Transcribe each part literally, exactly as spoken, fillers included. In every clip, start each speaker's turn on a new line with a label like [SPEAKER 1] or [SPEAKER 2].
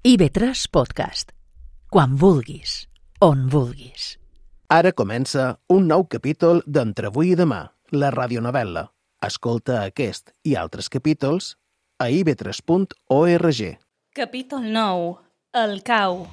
[SPEAKER 1] I ve tres Podcast. Quan vulguis, on vulguis.
[SPEAKER 2] Ara comença un nou capítol d'Entre avui i demà, la radionovel·la. Escolta aquest i altres capítols a i ve tres punt org.
[SPEAKER 3] Capítol nou. El cau.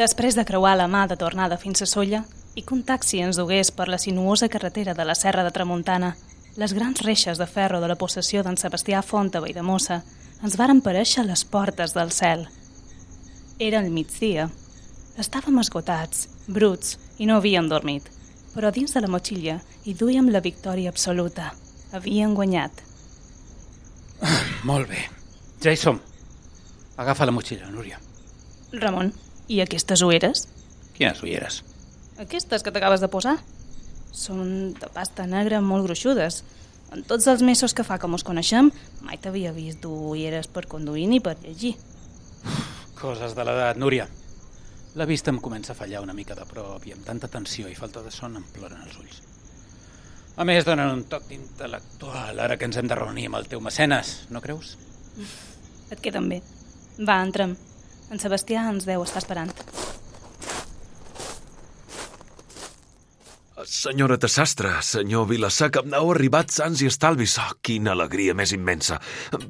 [SPEAKER 3] Després de creuar la mà de tornada fins a Sóller i que un taxi ens dugués per la sinuosa carretera de la Serra de Tramuntana, les grans reixes de ferro de la possessió d'en Sebastià Font a Valldemossa ens varen parèixer a les portes del cel. Era el migdia. Estàvem esgotats, bruts, i no havíem dormit, però dins de la motxilla hi duíem la victòria absoluta. Havíem guanyat.
[SPEAKER 4] Ah, molt bé. Ja hi som. Agafa la motxilla, Núria.
[SPEAKER 3] Ramon, i aquestes ulleres?
[SPEAKER 4] Quines ulleres?
[SPEAKER 3] Aquestes que t'acabes de posar. Són de pasta negra molt gruixudes. En tots els mesos que fa que mos coneixem, mai t'havia vist dur ulleres per conduir ni per llegir.
[SPEAKER 4] Coses de l'edat, Núria. La vista em comença a fallar una mica de prop i amb tanta tensió i falta de son em ploren els ulls. A més, donen un toc intel·lectual ara que ens hem de reunir amb el teu mecenes, no creus?
[SPEAKER 3] Et queden bé. Va, entrem. En Sebastià ens deu estar esperant.
[SPEAKER 5] Senyoreta Sastre, senyor Vilaseca, heu arribat sans i estalvis. Oh, quina alegria més immensa.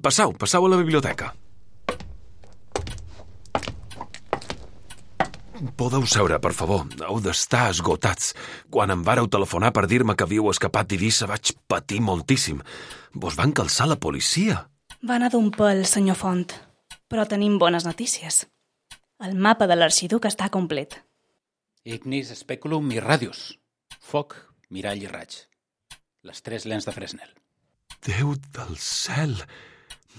[SPEAKER 5] Passau, passau a la biblioteca. Podeu seure, per favor. Heu d'estar esgotats. Quan em vàreu telefonar per dir-me que havíeu escapat d'Eivissa vaig patir moltíssim. Vos van calçar la policia.
[SPEAKER 3] Va anar d'un pèl, senyor Font, però tenim bones notícies. El mapa de l'arxiduc està complet.
[SPEAKER 4] Ignis, speculum i radius. Foc, mirall i raig. Les tres lents de Fresnel.
[SPEAKER 5] Déu del cel!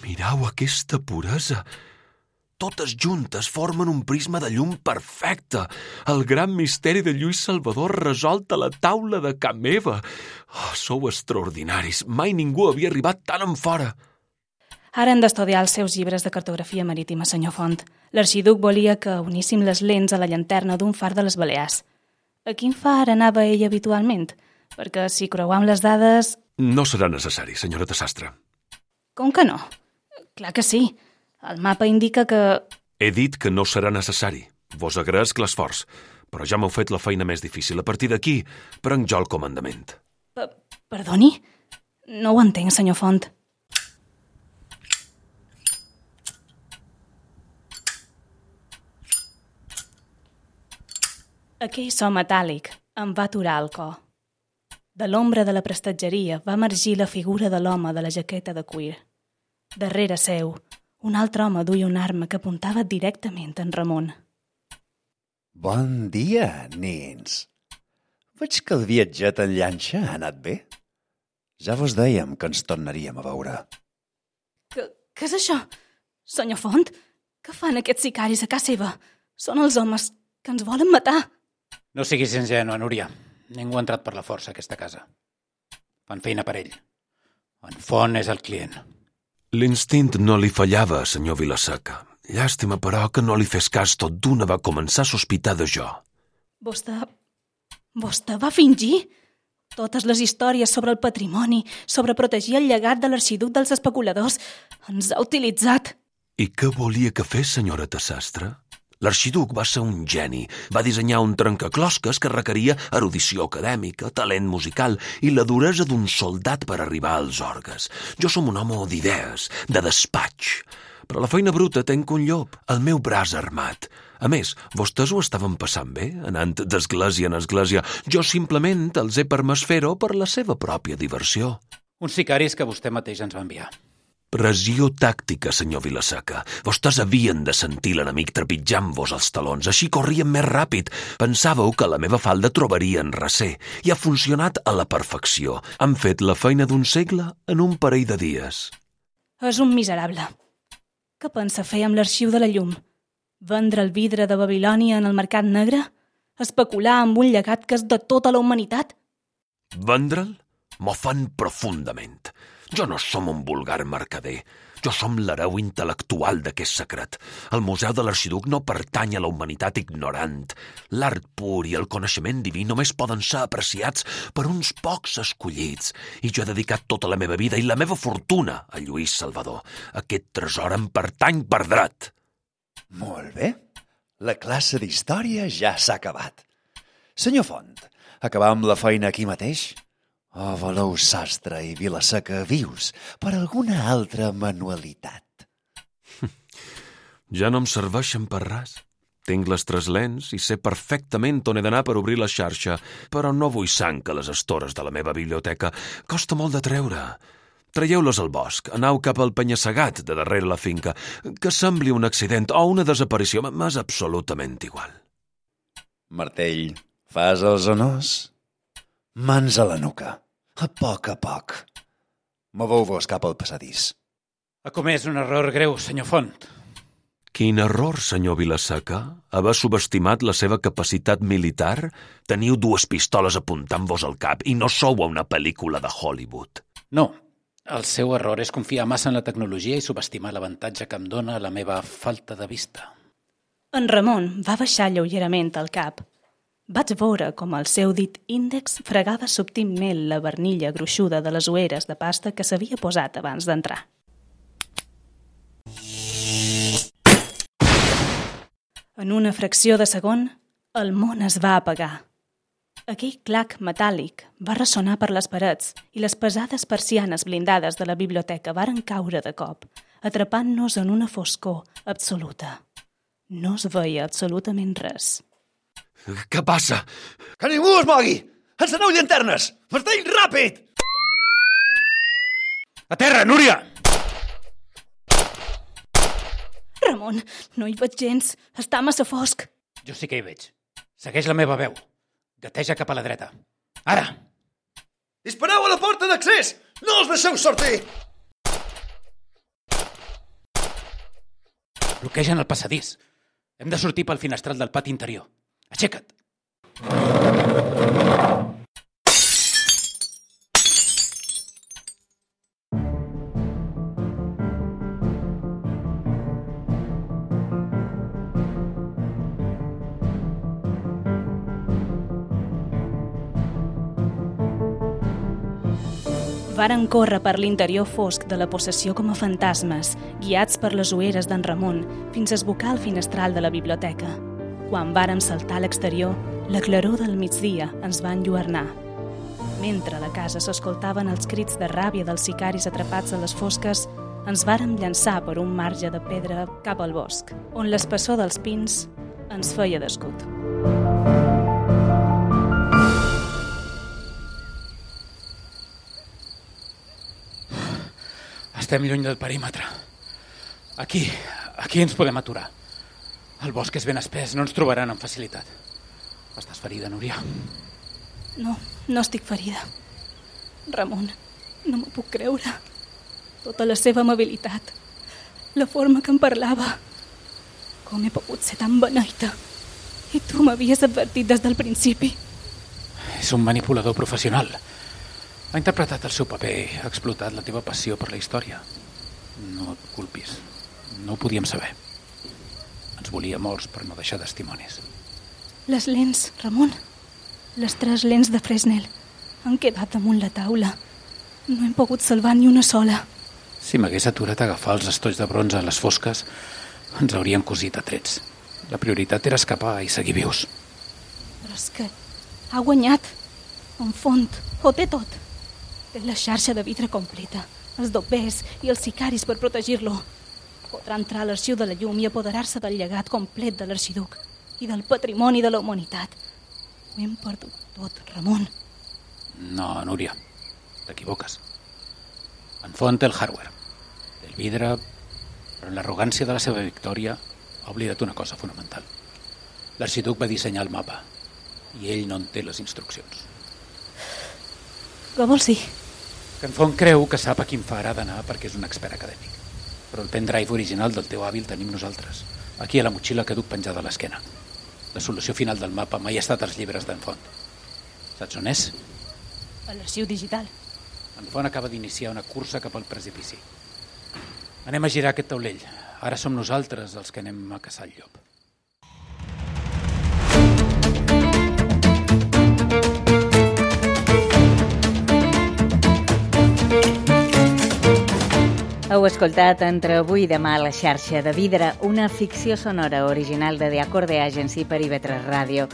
[SPEAKER 5] Mirau aquesta puresa! Totes juntes formen un prisma de llum perfecte. El gran misteri de Lluís Salvador resolt a la taula de ca meva. Oh, sou extraordinaris. Mai ningú havia arribat tan enfora.
[SPEAKER 3] Ara hem d'estudiar els seus llibres de cartografia marítima, senyor Font. L'arxiduc volia que uníssim les lents a la llanterna d'un far de les Balears. A quin far anava ell habitualment? Perquè si creuam les dades...
[SPEAKER 5] No serà necessari, senyoreta Sastre.
[SPEAKER 3] Com que no? Clar que sí. El mapa indica que...
[SPEAKER 5] He dit que no serà necessari. Vos agraesc l'esforç, però ja m'heu fet la feina més difícil. A partir d'aquí, prenc jo el comandament.
[SPEAKER 3] P Perdoni? No ho entenc, senyor Font. Aquell so metàl·lic em va aturar el cor. De l'ombra de la prestatgeria va emergir la figura de l'home de la jaqueta de cuir. Darrere seu, un altre home duia una arma que apuntava directament en Ramon.
[SPEAKER 6] Bon dia, nens. Veig que el viatget en llanxa ha anat bé. Ja vos dèiem que ens tornaríem a veure.
[SPEAKER 3] Que, què és això? Senyor Font, què fan aquests sicaris a casa seva? Són els homes que ens volen matar.
[SPEAKER 4] No siguis ingènua, Núria. Ningú ha entrat per la força a aquesta casa. Fan feina per ell. En Font és el client.
[SPEAKER 5] L'instint no li fallava, senyor Vilaseca. Llàstima, però, que no li fes cas tot d'una va començar a sospitar de jo.
[SPEAKER 3] Vostè... Vostè va fingir? Totes les històries sobre el patrimoni, sobre protegir el llegat de l'arxiduc dels especuladors, ens ha utilitzat.
[SPEAKER 5] I què volia que fes, senyoreta Sastre? L'arxiduc va ser un geni. Va dissenyar un trencaclosques que requeria erudició acadèmica, talent musical i la duresa d'un soldat per arribar als orgues. Jo som un home d'idees, de despatx. Però la feina bruta tenc un llop, el meu braç armat. A més, vostès ho estaven passant bé, anant d'església en església. Jo simplement els he permès fer-ho per la seva pròpia diversió.
[SPEAKER 4] Uns sicaris que vostè mateix ens va enviar.
[SPEAKER 5] Pressió tàctica, senyor Vilaseca. Vostès havien de sentir l'enemic trepitjant-vos els talons, així corrien més ràpid. Pensàveu que la meva falda trobarien recer, i ha funcionat a la perfecció. Han fet la feina d'un segle en un parell de dies.
[SPEAKER 3] És un miserable. Què pensa fer amb l'arxiu de la llum? Vendre el vidre de Babilònia en el mercat negre? Especular amb un llegat que és de tota la humanitat?
[SPEAKER 5] Vendre'l? M'ofèn profundament. Jo no som un vulgar mercader. Jo som l'hereu intel·lectual d'aquest secret. El Museu de l'Arxiduc no pertany a la humanitat ignorant. L'art pur i el coneixement diví només poden ser apreciats per uns pocs escollits. I jo he dedicat tota la meva vida i la meva fortuna a Lluís Salvador. Aquest tresor em pertany per dret.
[SPEAKER 6] Molt bé. La classe d'història ja s'ha acabat. Senyor Font, acabam la feina aquí mateix? O voleu Sastre i Vilaseca vius per alguna altra manualitat?
[SPEAKER 5] Ja no em serveixen per res. Tinc les tres lents i sé perfectament on he d'anar per obrir la xarxa, però no vull sang que les estores de la meva biblioteca. Costa molt de treure. Traieu-les al bosc, anau cap al penya-segat de darrere la finca. Que sembli un accident o una desaparició, m'és absolutament igual.
[SPEAKER 6] Martell, fas els honors? Mans a la nuca, a poc a poc. Moveu-vos cap al passadís.
[SPEAKER 4] Ha comès un error greu, senyor Font.
[SPEAKER 5] Quin error, senyor Vilaseca? Haver subestimat la seva capacitat militar? Teniu dues pistoles apuntant-vos al cap i no sou a una pel·lícula de Hollywood.
[SPEAKER 4] No, el seu error és confiar massa en la tecnologia i subestimar l'avantatge que em dóna la meva falta de vista.
[SPEAKER 3] En Ramon va baixar lleugerament el cap. Vaig veure com el seu dit índex fregava subtilment la barnilla gruixuda de les ulleres de pasta que s'havia posat abans d'entrar. En una fracció de segon, el món es va apagar. Aquell clac metàl·lic va ressonar per les parets i les pesades persianes blindades de la biblioteca varen caure de cop, atrapant-nos en una foscor absoluta. No es veia absolutament res.
[SPEAKER 5] Què passa?
[SPEAKER 6] Que ningú es mogui! Enceneu llanternes! Martell, ràpid!
[SPEAKER 4] A terra, Núria!
[SPEAKER 3] Ramon, no hi veig gens. Està massa fosc.
[SPEAKER 4] Jo sí que hi veig. Segueix la meva veu. Gateja cap a la dreta. Ara!
[SPEAKER 6] Dispareu a la porta d'accés! No els deixeu sortir!
[SPEAKER 4] Bloquegen el passadís. Hem de sortir pel finestral del pati interior. Aixeca't!
[SPEAKER 3] Varen córrer per l'interior fosc de la possessió com a fantasmes, guiats per les ulleres d'en Ramon, fins a esbocar el finestral de la biblioteca. Quan vàrem saltar a l'exterior, la claror del migdia ens va enlluernar. Mentre a la casa s'escoltaven els crits de ràbia dels sicaris atrapats a les fosques, ens vàrem llançar per un marge de pedra cap al bosc, on l'espessor dels pins ens feia d'escut.
[SPEAKER 4] Estem lluny del perímetre. Aquí, aquí ens podem aturar. El bosc és ben espès, no ens trobaran amb facilitat. Estàs ferida, Núria?
[SPEAKER 3] No, no estic ferida. Ramon, no m'ho puc creure. Tota la seva amabilitat, la forma que em parlava. Com he pogut ser tan beneita? I tu m'havies advertit des del principi.
[SPEAKER 4] És un manipulador professional. Ha interpretat el seu paper, ha explotat la teva passió per la història. No et culpis. No ho podíem saber. Ens volia morts per no deixar testimonis.
[SPEAKER 3] Les lents, Ramon. Les tres lents de Fresnel han quedat damunt la taula. No hem pogut salvar ni una sola.
[SPEAKER 4] Si m'hagués aturat a agafar els estolls de bronze a les fosques, ens hauríem cosit a trets. La prioritat era escapar i seguir vius.
[SPEAKER 3] Però és que ha guanyat. En Font, ho té tot. Té la xarxa de vidre completa, els dobbers i els sicaris per protegir-lo. Podrà entrar a l'arxiu de la llum i apoderar-se del llegat complet de l'arxiduc i del patrimoni de la humanitat. Ho hem perdut tot, Ramon.
[SPEAKER 4] No, Núria, t'equivoques. En Font té el hardware, té el vidre, però en l'arrogància de la seva victòria ha oblidat una cosa fonamental. L'arxiduc va dissenyar el mapa i ell no en té les instruccions.
[SPEAKER 3] Què vols dir?
[SPEAKER 4] Que en Font creu que sap a quin far ha d'anar perquè és un expert acadèmic. Però el pendrive original del teu avi el tenim nosaltres, aquí a la motxilla que duc penjada a l'esquena. La solució final del mapa mai ha estat als llibres d'en Font. Saps on és?
[SPEAKER 3] A l'arxiu digital.
[SPEAKER 4] En Font acaba d'iniciar una cursa cap al precipici. Anem a girar aquest taulell. Ara som nosaltres els que anem a caçar el llop.
[SPEAKER 7] Heu escoltat Entre avui i demà a la xarxa de Vidre, una ficció sonora original de The Acorde Agency per I V tres Ràdio.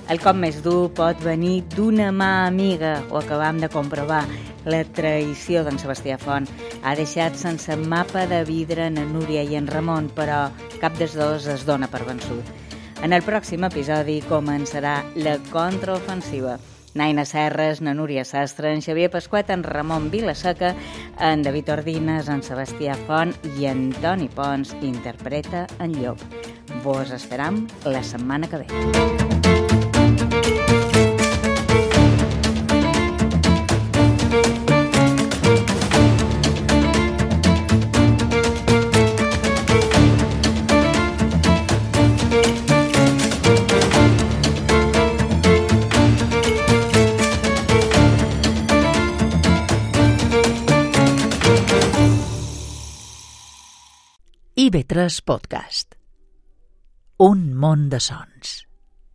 [SPEAKER 7] El cop més dur pot venir d'una mà amiga, ho acabam de comprovar. La traïció d'en Sebastià Font ha deixat sense mapa de vidre en Núria i en Ramon, però cap dels dos es dona per vençut. En el pròxim episodi començarà la contraofensiva. Naina Serres, na Núria Sastre, en Xavier Pasquet, en Ramon Vilaseca, en David Ordines, en Sebastià Font i en Toni Pons interpreta en Llop. Vos esperam la setmana que ve.
[SPEAKER 1] I V tres Podcast. Un món de sons.